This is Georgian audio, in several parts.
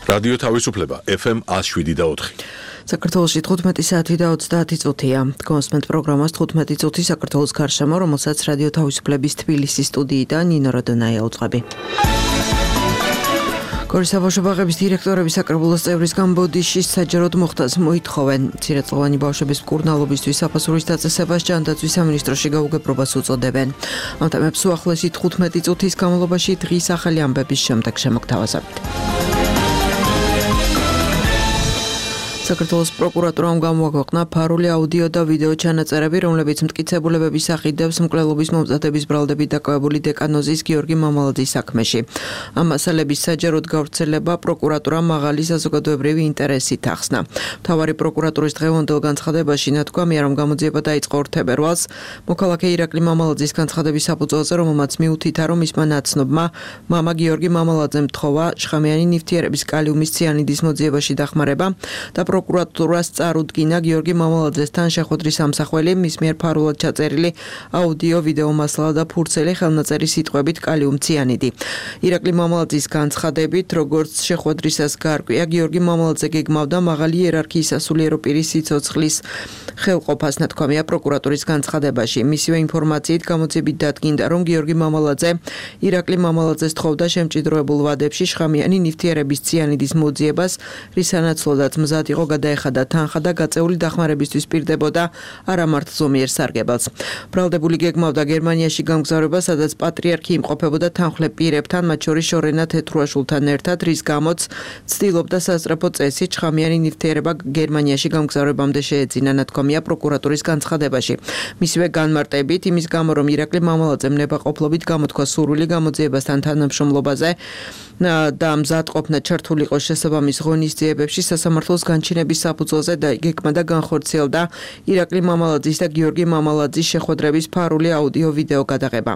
რადიო თავისუფლება FM 107.4. საქართველოში 15 საათი და 30 წუთია. კონსმენტ პროგრამას 15 წუთი საქართველოს გარშემო, რომელსაც რადიო თავისუფლების თბილისის სტუდიიდან ნინო როდონაია უწყები. გორის საბავშვო ბაღების დირექტორები საკრებულოს წევრისგან ბოდიშის საჯაროდ მოხდას მოითხოვენ. მცირეწლოვანი ბავშვების მკურნალობისთვის საფასურის დაწესებას ჯანდაცვის სამინისტროში გაუგებრობას უწოდებენ. ამ თემებს უახლესი 15 წუთის განმავლობაში დღის ახალი ამბების შემდეგ შემოგთავაზებთ. საქართველოს პროკურატურამ გამოაქვეყნა ფარული აუდიო და ვიდეო ჩანაწერები, რომლებიც მტკიცებულებების ახიდებს მკვლელობის მომზადების ბრალდებით დაკავებული დეკანოზის გიორგი მამალაძის საქმეში. ამ მასალების საჯაროდ გავრცელება პროკურატურამ მაღალი საზოგადოებრივი ინტერესით ახსნა. მთავარი პროკურატურის დღევანდელ განცხადებაში ნათქვამია, რომ გამოძიება დაიწყო 2 თებერვალს მოქალაქე ირაკლი მამალაძის განცხადების საფუძველზე, რომელმაც მიუთითა, რომ მისმა ნაცნობმა მამა გიორგი მამალაძემ თხოვა შხამიანი ნივთიერების კალიუმის ციანიდის მოძიებაში დახმარება და პროკურატურას წარუდგინა გიორგი მამალაძესთან შეხვედრის ამსახველი, მის მიერ ფარულად ჩაწერილი აუდიო ვიდეო მასალა და ფურცელი ხელნაწერი სიტყვებით კალიუმ ციანიდი. ირაკლი მამალაძის განცხადებით, როგორც შეხვედრისას გაარკვია, გიორგი მამალაძე გეგმავდა მაღალი იერარქიის სასულიერო პირის სიცოცხლის ხელყოფას, ნათქვამია პროკურატურის განცხადებაში. მისივე ინფორმაციით გამოძიებით დადგინდა, რომ გიორგი მამალაძე ირაკლი მამალაძეს თხოვდა შემჭიდროებულ ვადებში შხამიანი ნივთიერების ციანიდის მოძიებას, რის სანაცვლოდაც მზად იყო გადაეხადა თანხა და გაწეული დახმარებისთვის პირდებოდა არამართ ზომიერ სარგებელს. ბრალდებული გეგმავდა გერმანიაში გამგზავრება, სადაც პატრიარქი იმყოფებოდა თანხმლებ პირებთან, მათ შორის შორენა თეთრუაშულთან ერთად, რის გამოც ცდილობდა სასწრაფო წესით შხამიანი ნივთიერება გერმანიაში გამგზავრებამდე შეეძინა, ნათქვამია პროკურატურის განცხადებაში. მისივე განმარტებით, იმის გამო, რომ ირაკლი მამალაძემ ნებაყოფლობით გამოთქვა სურვილი გამოძიებასთან თანამშრომლობაზე და მზადყოფნა ჩართული იყო შესაბამის ღონისძიებებში სასამართლოს განჩინების საფუძველზე და გეგმა და განხორციელდა ირაკლი მამალაძის და გიორგი მამალაძის შეხვედრების ფარული აუდიო ვიდეო გადაღება.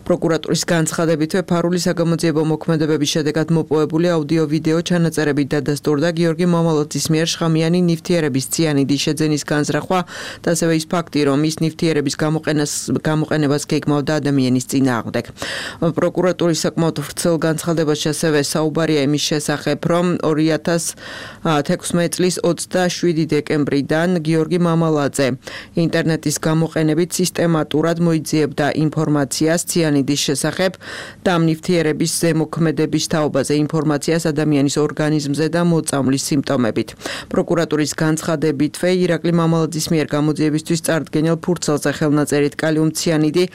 პროკურატურის განცხადებითვე ფარული საგამოძიებო მოქმედებების შედეგად მოპოვებული აუდიო ვიდეო ჩანაწერებით დადასტურდა გიორგი მამალაძის მიერ შხამიანი ნივთიერების ციანიდის შეძენის განზრახვა და ასევე ის ფაქტი, რომ ის ნივთიერების გამოყენებას გეგმავდა ადამიანის წინააღმდეგ. პროკურატურის საკმაოდ ვრცელ განცხადებაში ასევე საუბარია იმის შესახებ, რომ 2016 წლის 27 დეკემბრიდან გიორგი მამალაძე ინტერნეტის გამოყენებით სისტემატურად მოიძიებდა ინფორმაციას ციანიდის შესახებ და ამ ნივთიერების ზემოქმედების თაობაზე ინფორმაციას ადამიანის ორგანიზმზე და მოწამვლის სიმპტომებით. პროკურატურის განცხადებითვე ირაკლი მამალაძის მიერ გამოძიებისთვის წარდგენილ ფურცელზე ხელნაწერით კალიუმ ციანიდი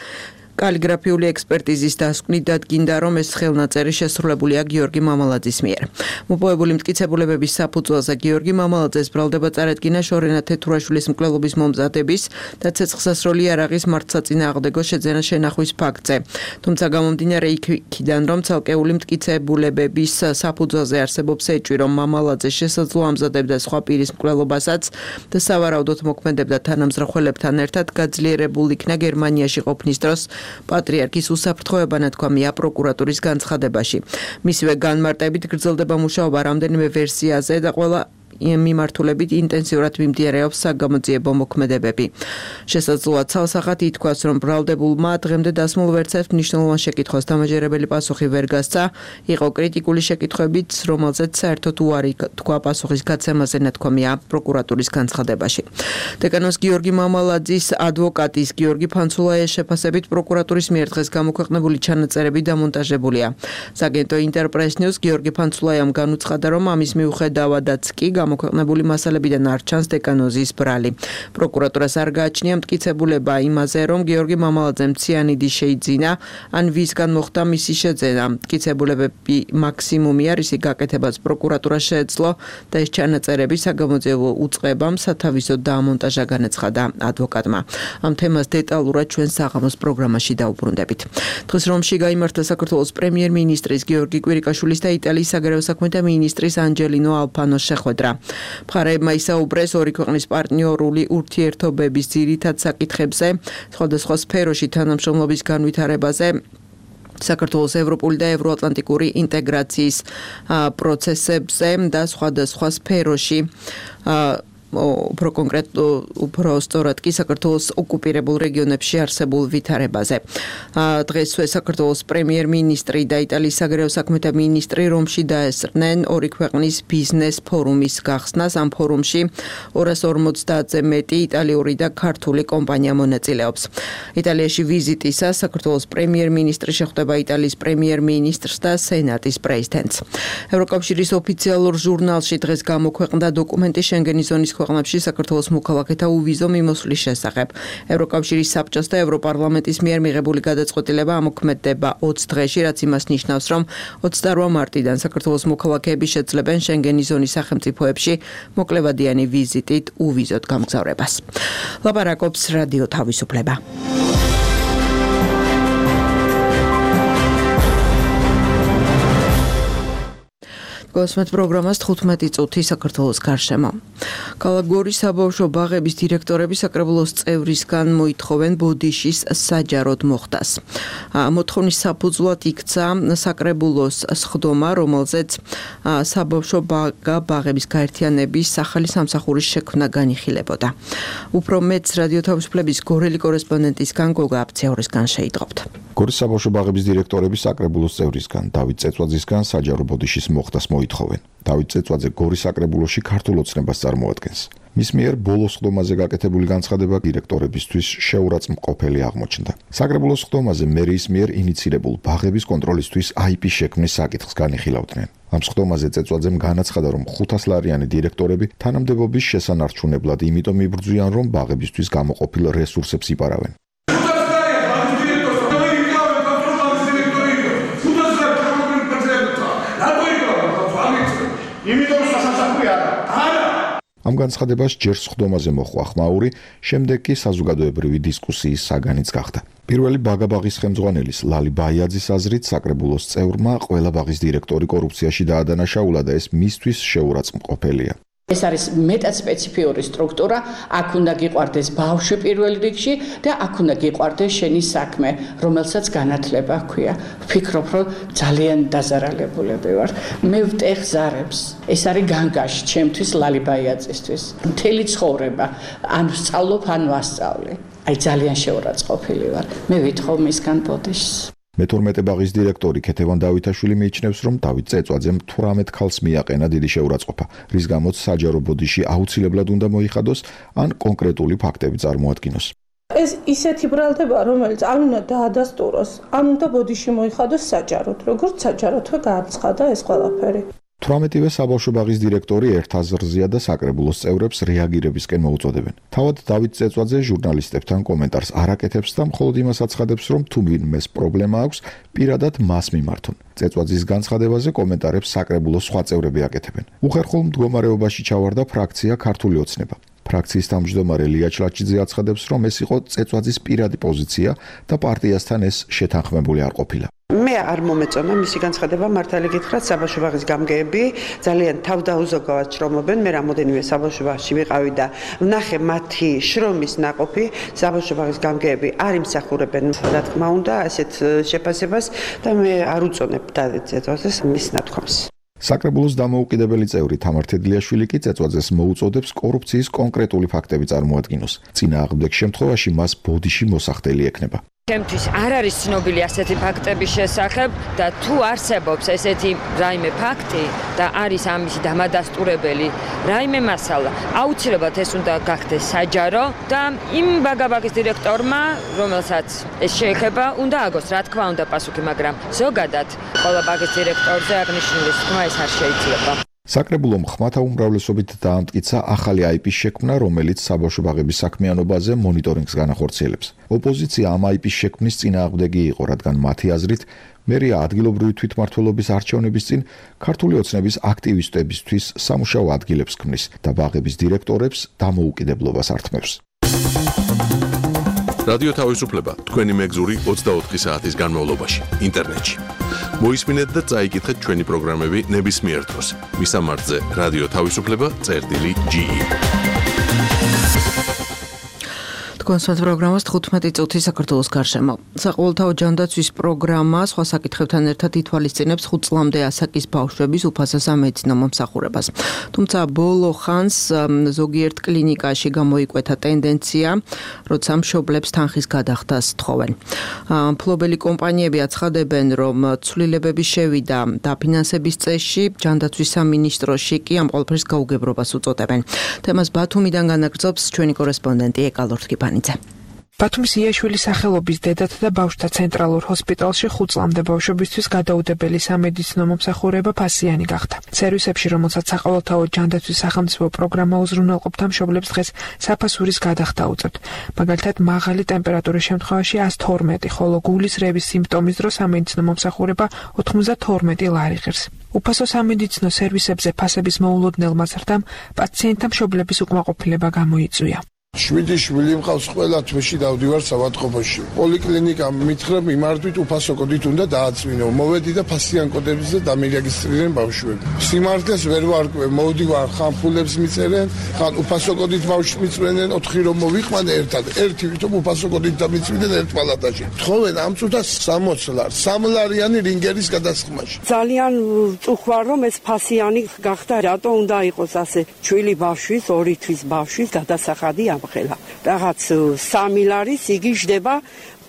კალიგრაფიული ექსპერტიზის დასკვნით დადგინდა, რომ ეს ხელნაწერი შესრულებულია გიორგი მამალაძის მიერ. მოპოვებული მტკიცებულებების საფუძველზე გიორგი მამალაძეს ბრალდება წარადგინა შორენა თეთრუაშვილის მკვლელობის მომზადების და ცეცხლსასროლი იარაღის მართლსაწინააღმდეგო შეძენა შენახვის ფაქტზე. თუმცა გამომდინარე იქიდან, რომ ცალკეული მტკიცებულებების საფუძველზე არსებობს ეჭვი, რომ მამალაძე შესაძლოა ამზადებდა სხვა პირის მკვლელობასაც და სავარაუდოდ მოქმედებდა თანამზრახველებთან ერთად, გაძლიერებულ იქნა გერმანიაში ყოფნის დროს პატრიარქის უსაფრთხოება, ნათქვამია პროკურატურის განცხადებაში. მისივე განმარტებით გრძელდება მუშაობა რამდენიმე ვერსიაზე და ყველა მიმართულებით ინტენსიურად მიმდინარეობს საგამოძიებო მოქმედებები. შესაძლოა ცალსახად ითქვას, რომ ბრალდებულმა დღემდე დასმულ ვერცერთს მნიშვნელოვან შეკითხვას დამაჯერებელი პასუხი ვერ გასცა, იყო კრიტიკული შეკითხვებიც, რომელზეც საერთოდ უარი თქვა პასუხის გაცემაზე, ნათქვამია პროკურატურის განცხადებაში. დეკანოს გიორგი მამალაძის ადვოკატის გიორგი ფანცულაიას შეფასებით პროკურატურის მიერ დღეს გამოქვეყნებული ჩანაწერები დამონტაჟებულია. საგენტო ინტერპრეს ნიუს გიორგი ფანცულაიამ განუცხადა, რომ ამის მიუხედავადაც კი გამოქვეყნებული მასალებიდან არ ჩანს დეკანოზის ბრალი. პროკურატურას არ გააჩნია მტკიცებულება იმაზე, რომ გიორგი მამალაძემ ციანიდი შეიძინა, ან ვისგან მოხდა მისი შეძენა. მტკიცებულებები მაქსიმუმია, რისი გაკეთებას პროკურატურა შეეძლო და ეს ჩანაწერები საგამოძიებო უწყებამ სათავისოდ დაამონტაჟა, განაცხადა ადვოკატმა. ამ თემას დეტალურად ჩვენ საღამოს პროგრამაში დაუბრუნდებით. დღეს რომში გაიმართა საქართველოს პრემიერ-მინისტრის გიორგი კვირიკაშვილის და იტალიის საგარეო საქმეთა მინისტრის ანჯელინო ალფანოს შეხვედრა. მხარეებმა ისაუბრეს ორი ქვეყნის პარტნიორული ურთიერთობების ძირითად საკითხებზე, სხვადასხვა სფეროში თანამშრომლობის განვითარებაზე, საქართველოს ევროპული და ევროატლანტიკური ინტეგრაციის პროცესებზე და სხვადასხვა სფეროში უფრო უფრო სწორად კი საქართველოს ოკუპირებულ რეგიონებში არსებულ ვითარებაზე. დღესვე საქართველოს პრემიერ-მინისტრი და იტალიის საგარეო საქმეთა მინისტრი რომში დაესწრნენ ორი ქვეყნის ბიზნეს ფორუმის გახსნას. ამ ფორუმში 250-ზე მეტი იტალიური და ქართული კომპანია მონაწილეობს. იტალიაში ვიზიტისას საქართველოს პრემიერ-მინისტრი შეხვდება იტალიის პრემიერ-მინისტრს და სენატის პრეზიდენტს. ევროკავშირის ოფიციალურ ჟურნალში დღეს გამოქვეყნდა დოკუმენტი შენგენის ზონის ქვეყნებში საქართველოს მოქალაქეთა უვიზო მიმოსვლის შესახებ. ევროკავშირის საბჭოს და ევროპარლამენტის მიერ მიღებული გადაწყვეტილება ამოქმედდება 20 დღეში, რაც იმას ნიშნავს, რომ 28 მარტიდან საქართველოს მოქალაქეები შეძლებენ შენგენის ზონის სახელმწიფოებში მოკლევადიანი ვიზიტით უვიზოდ გამგზავრებას. ლაპარაკობს რადიო თავისუფლება. გოსმეთ პროგრამას 15 წუთი საქართველოს გარშემო. ქალაქ გორის საბავშვო ბაღების დირექტორები საკრებულოს წევრისგან მოითხოვენ ბოდიშის საჯაროდ მოხდას. მოთხოვნის საფუძვლად იქცა საკრებულოს სხდომა, რომელზეც საბავშვო ბაღების გაერთიანების ახალი სამსახურის შექმნა განიხილებოდა. უფრო მეც რადიო თავისუფლების გორელი კორესპონდენტისგან გოგა აფცეორისგან შეიტყობთ. გორის საბავშვო ბაღების დირექტორები საკრებულოს წევრისგან დავით წეწვაძისგან საჯარო ბოდიშის მოხდას მოითხოვენ. დავით წეწვაძე გორის საკრებულოში ქართულ ოცნებას წარმოადგენს. მის მიერ ბოლო სხდომაზე გაკეთებული განცხადება დირექტორებისთვის შეურაცხმყოფელი აღმოჩნდა. საკრებულოს სხდომაზე მერიის მიერ ინიცირებულ ბაღების კონტროლისთვის IP შექმნის საკითხს განიხილავდნენ. ამ სხდომაზე წეწვაძემ განაცხადა, რომ 500 ლარიანი დირექტორები თანამდებობის შესანარჩუნებლად იმიტომ იბრძვიან, რომ ბაღებისთვის გამოყოფილ რესურსებს იპარავენ. ამ განცხადებას ჯერ სხდომაზე მოხვა ხმაური, შემდეგ კი საზოგადოებრივი დისკუსიის საგანიც გახდა. პირველი ბაღაბაღის ხელმძღვანელის ლალი ბაიაძის აზრით საკრებულოს წევრმა ყველა ბაღის დირექტორი კორუფციაში დაადანაშაულა და ეს მისთვის შეურაცხმყოფელია. ეს არის მეტად სპეციფიური სტრუქტურა, აქ უნდა გიყვარდეს ბავშვი პირველ რიგში და აქ უნდა გიყვარდეს შენი საქმე, რომელსაც განათლება ჰქვია. ვფიქრობ, რომ ძალიან დაზარალებულები ვარ. მე ვტეხ ზარებს. ეს არის განგაში ჩემთვის ლალი ბაიაძისთვის. მთელი ცხოვრება ან ვსწავლობ, ან ვასწავლე. აი ძალიან შეურაცხმყოფილი ვარ. მე ვითხოვ მისგან ბოდიშს. მე-12 ბაღის დირექტორი ქეთევან დავითაშვილი მიიჩნევს, რომ დავით წეწვაძემ 18 ქალს მიაყენა დიდი შეურაცხყოფა, რის გამოც საჯარო ბოდიში აუცილებლად უნდა მოიხადოს, ან კონკრეტული ფაქტები წარმოადგინოს. ეს ისეთი ბრალდება, რომელიც ან უნდა დაადასტუროს, ან უნდა ბოდიში მოიხადოს საჯაროდ, როგორც საჯაროდვე გააცხადა ეს ყველაფერი. 18-ვე საბავშვო ბაღის დირექტორი ერთ აზრზეა და საკრებულოს წევრებს რეაგირებისკენ მოუწოდებენ. თავად დავით წეწვაძე ჟურნალისტებთან კომენტარს არ აკეთებს და მხოლოდ იმას აცხადებს, რომ თუ ვინმეს პრობლემა აქვს, პირადად მას მიმართონ. წეწვაძის განცხადებაზე კომენტარებს საკრებულოს სხვა წევრები აკეთებენ. უხერხულ მდგომარეობაში ჩავარდა ფრაქცია ქართული ოცნება. ფრაქციის თავმჯდომარე ლია ჩლაჩიძე აცხადებს, რომ ეს იყო წეწვაძის პირადი პოზიცია და პარტიასთან ეს შეთანხმებული არ ყოფილა. მე არ მომეწონა მისი განცხადება, მართალი გითხრათ, საბავშვო ბაღის გამგეები ძალიან თავდაუზოგავად შრომობენ. მე რამოდენიმე საბავშვო ბაღში ვიყავი და ვნახე მათი შრომის ნაყოფი. საბავშვო ბაღის გამგეები არ იმსახურებენ, რა თქმა უნდა, ასეთ შეფასებას და მე არ უწონებ დავით წეწვაძეს მის ნათქვამს. საკრებულოს დამოუკიდებელი წევრი თამარ თედლიაშვილი კი წეწვაძეს მოუწოდებს კორუფციის კონკრეტული ფაქტები წარმოადგინოს. წინააღმდეგ შემთხვევაში მას ბოდიში მოსახდელი ექნება. ჩემთვის არ არის ცნობილი ასეთი ფაქტების შესახებ და თუ არსებობს ესეთი რაიმე ფაქტი და არის ამისი დამადასტურებელი რაიმე მასალა, აუცილებლად ეს უნდა გახდეს საჯარო და იმ ბაღაბაღის დირექტორმა, რომელსაც ეს შეეხება, უნდა აგოს, რა თქმა უნდა, პასუხი, მაგრამ ზოგადად ყველა ბაღის დირექტორზე აღნიშნული თქმა ეს არ შეიძლება. საკრებულომ ხმათა უმრავლესობით დაამტკიცა ახალი IP-ის შექმნა, რომელიც საბავშვო ბაღების საქმიანობაზე მონიტორინგს განახორციელებს. ოპოზიცია ამ IP-ის შექმნის წინააღმდეგი იყო, რადგან მათი აზრით მერია ადგილობრივი თვითმმართველობის არჩევნების წინ ქართული ოცნების აქტივისტებისთვის სამუშაო ადგილებს ქმნის და ბაღების დირექტორებს დამოუკიდებლობას ართმევს. რადიო თავისუფლება თქვენი მეგზური 24 საათის განმავლობაში ინტერნეტში. მოისმინეთ და წაიკითხეთ ჩვენი პროგრამები ნებისმიერ დროს. მისამართზე რადიო თავისუფლება.ge კონსულტ პროგრამას 15 წუთი საქართველოს გარშემო. საყოველთაო ჯანდაცვის პროგრამა სხვა საკითხებთან ერთად ითვალისწინებს 5 წლამდე ასაკის ბავშვების უფასო სამედიცინო მომსახურებას. თუმცა ბოლო ხანს ზოგიერთ კლინიკაში გამოიკვეთა ტენდენცია, როცა მშობლებს თანხის გადახდას თხოვენ. მფლობელი კომპანიები აცხადებენ, რომ ცვლილებები შევიდა დაფინანსების წესში, ჯანდაცვის სამინისტროში კი ამ ყველაფერს გაუგებრობას უწოდებენ. თემას ბათუმიდან განაგრძობს ჩვენი კორესპონდენტი ეკალორთკიპანიძე. ბათუმის იაშვილის სახელობის დედათა და ბავშვთა ცენტრალურ ჰოსპიტალში 5 წლამდე ბავშვებისთვის გადაუდებელი სამედიცინო მომსახურება ფასიანი გახდა. სერვისებში, რომელსაც საყოველთაო ჯანდაცვის სახელმწიფო პროგრამა უზრუნველყოფდა, მშობლებს დღეს საფასურის გადახდა უწევთ. მაგალითად, მაღალი ტემპერატურის შემთხვევაში 112, ხოლო გულის რევის სიმპტომის დროს სამედიცინო მომსახურება 92 ლარი ღირს. უფასო სამედიცინო სერვისებზე ფასების მოულოდნელმა ზრდამ პაციენტთა მშობლების უკმაყოფილება გამოიწვია. 7 შვილი მყავს, ყველა თვეში დავდივარ საავადმყოფოში. პოლიკლინიკა მითხრა მიმართვით უფასო კოდით უნდა დააწმინო. მოვედი და ფასიან კოდებს და დამირეგისტრირდნენ ბავშვები. სიმართლეს ვერ ვარკვევ, მოვდივარ, ხან ფულებს მიწერენ, ხან უფასო კოდით ბავშვს მიწვენენ, 4 რომ მოვიყვანე ერთად. ერთი ვითომ უფასო კოდით დამიწვიდნენ ერთ პალატაში. თხოვენ ამ წუთას 60 ლარს, 3 ლარიანი რინგერის გადასხმაში. ძალიან წუხوار რომ ეს ფასიანი გახდა, რატო უნდა იყოს ასე ჩვილი ბავშვის, 2 თვის ბავშვის გადასახადი ხელა. Რაღაც 3 ლარის იგი ჯდება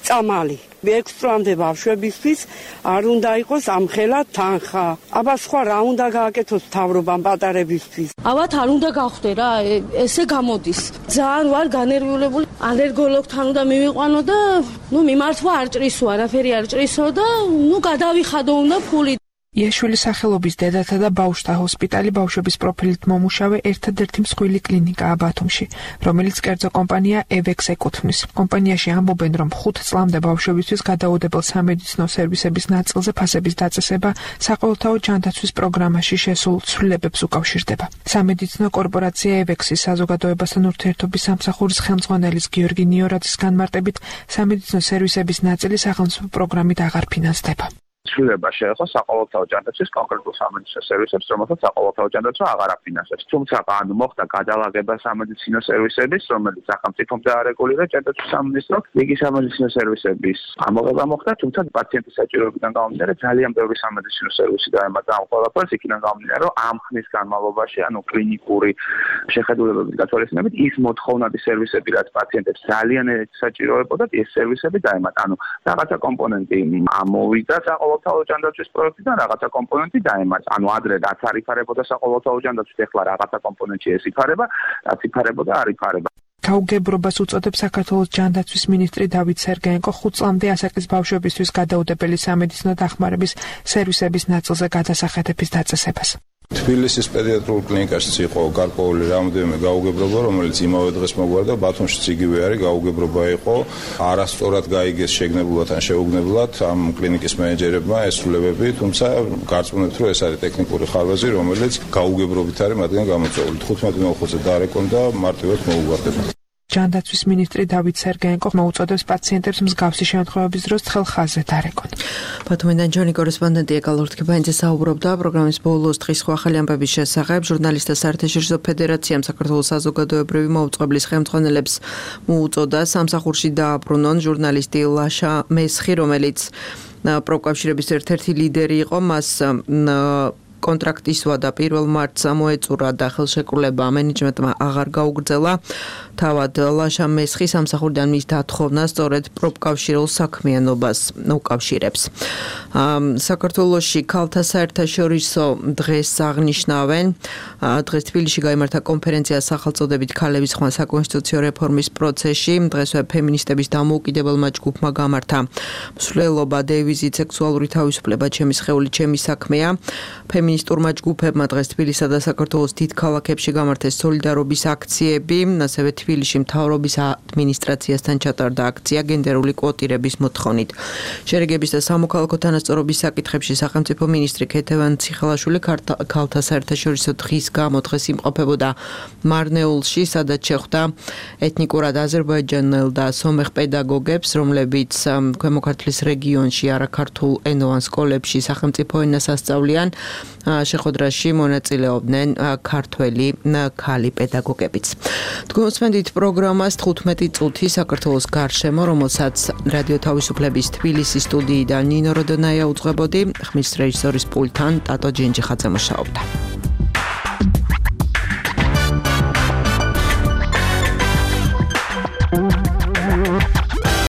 წამალი. 6 წლამდე ბავშვებისთვის არ უნდა იყოს ამხელა თანხა. აბა სხვა რა უნდა გააკეთოს მთავრობამ პატარებისთვის? ალბათ არ უნდა გახვდე რა, ესე გამოდის. ძალიან ვარ განერვიულებული. ალერგოლოგთან უნდა მივიყვანო და მიმართვა არ ჭრისო, არაფერი არ ჭრისო და გადავიხადო უნდა ფული. იაშვილის სახელობის დედათა და ბავშვთა ჰოსპიტალი ბავშვების პროფილით მომუშავე ერთადერთი მსხვილი კლინიკაა ბათუმში, რომელიც კერძო კომპანია EVEX ეკუთვნის. კომპანიაში ამბობენ, რომ 5 წლამდე ბავშვებისთვის გადაუდებელ სამედიცინო სერვისების ნაწილზე ფასების დაწესება საყოველთაო ჯანდაცვის პროგრამაში შესულ ცვლილებებს უკავშირდება. სამედიცინო კორპორაცია EVEX-ის საზოგადოებასთან ურთიერთობის სამსახურის ხელმძღვანელის გიორგი ნიორაძის განმარტებით, სამედიცინო სერვისების ნაწილი სახელმწიფო პროგრამით აღარ ფინანსდება. ცვლილება შეეხო საყოველთაო ჯანდაცვის კონკრეტულ სამედიცინო სერვისებს, რომელსაც საყოველთაო ჯანდაცვა აღარ აფინანსებს. თუმცა მოხდა გადალაგება სამედიცინო სერვისების, რომელიც სახელმწიფომდა არეგულირდა ჯანდაცვის სამინისტრო, იგი სამედიცინო სერვისების ამოღება მოხდა, თუმცა პაციენტის საჭიროებიდან გამომდინარე ძალიან ბევრი სამედიცინო სერვისი დაემატა ამ ყველაფერს, იქიდან გამომდინარე, რომ ამ ხნის განმავლობაში, კლინიკური შეხედულებების გათვალისწინებით, ის მოთხოვნადი სერვისები, რაც პაციენტებს ძალიან საჭიროებოდათ, ეს სერვისები დაემატა. რაღაცა კომპონენტი ამოვიდა საყოველთაო ჯანდაცვის პროექტიდან, რაღაცა კომპონენტი დაემატა. ადრე რაც არ იფარებოდა საყოველთაო ჯანდაცვით, ეხლა რაღაცა კომპონენტი ეს იფარება, რაც იფარებოდა არ იფარება. გაუგებრობას უწოდებს საქართველოს ჯანდაცვის მინისტრი დავით სერგეენკო 5 წლამდე ასაკის ბავშვებისთვის გადაუდებელი სამედიცინო დახმარების სერვისების ნაწილზე გადასახადების დაწესებას. თბილისის პედიატრიულ კლინიკაშიც იყო გარკვეული რამოდენიმე გაუგებრობა, რომელიც იმავე დღეს მოგვარდა, ბათუმშიც იგივე არის, გაუგებრობა იყო, არასწორად გაიგეს შეგნებულად ან შეუგნებლად ამ კლინიკის მენეჯერებმა ეს ცვლილებები, თუმცა გარწმუნებთ, რომ ეს არის ტექნიკური ხარვეზი, რომელიც გაუგებრობით არის მათგან გამოწვეული. 15-ზე დაარეკონ და მარტივად მოუგვარდება. ჯანდაცვის მინისტრი დავით სერგეენკო მოუწოდებს პაციენტებს მსგავსი შემთხვევების დროს თხელ-ხაზზე დარეკონ. ბათუმიდან ჩვენი კორესპონდენტი ეკალორთკიპანიძე საუბრობდა პროგრამის ბოლოს დღის ახალი ამბების შესახებ. ჟურნალისტთა საერთაშორისო ფედერაციამ საქართველოს საზოგადოებრივი მოუწყებლის ხელმძღვანელებს მოუწოდა სამსახურში დააბრუნონ ჟურნალისტი ლაშა მესხი, რომელიც პროკავშირების ერთ-ერთი ლიდერი იყო, მას კონტრაქტისვა და 1 მარტს მოეწურა და ხელშეკრულება მენეჯმენტმა აღარ გაუგრძელა. თავად ლაშა მესხი სამსახურიდან მის დათხოვნა სწორედ პროფკავშირულ საქმიანობას უკავშირებს. საქართველოში ქალთა საერთაშორისო დღეს აღნიშნავენ. დღეს თბილისში გაიმართა კონფერენცია სახელწოდებით ქალების ხმა საკონსტიტუციო რეფორმის პროცესში. დღესვე ფემინისტების დამოუკიდებელმა ჯგუფმა გამართა მსვლელობა დევიზით სექსუალური თავისუფლება ჩემი სხეული ჩემი საქმეა. ფემინისტურმა ჯგუფებმა დღეს თბილისსა და საქართველოს დიდ ქალაქებში გამართეს სოლიდარობის აქციები, ასევე თბილისში მთავრობის ადმინისტრაციასთან ჩატარდა აქცია გენდერული კვოტირების მოთხოვნით. შერიგების და სამოქალაქო თანასწორობის საკითხებში სახელმწიფო მინისტრი ქეთევან ციხელაშვილი ქალთა საერთაშორისო დღის გამო დღეს იმყოფებოდა მარნეულში, სადაც შეხვდა ეთნიკურად აზერბაიჯანელ და სომეხ პედაგოგებს, რომლებიც ქვემო ქართლის რეგიონში არაქართულ ენოვან სკოლებში სახელმწიფო ენას ასწავლიან. შეხვედრაში მონაწილეობდნენ ქართველი ქალი პედაგოგებიც. თქვენ უსმენთ პროგრამას 15 წუთი საქართველოს გარშემო, რომელსაც რადიო თავისუფლების თბილისის სტუდიიდან ნინო როდონაია უძღვებოდი, ხმის რეჟისორის პულტთან ტატო ჯენჯიხაძე მუშაობდა.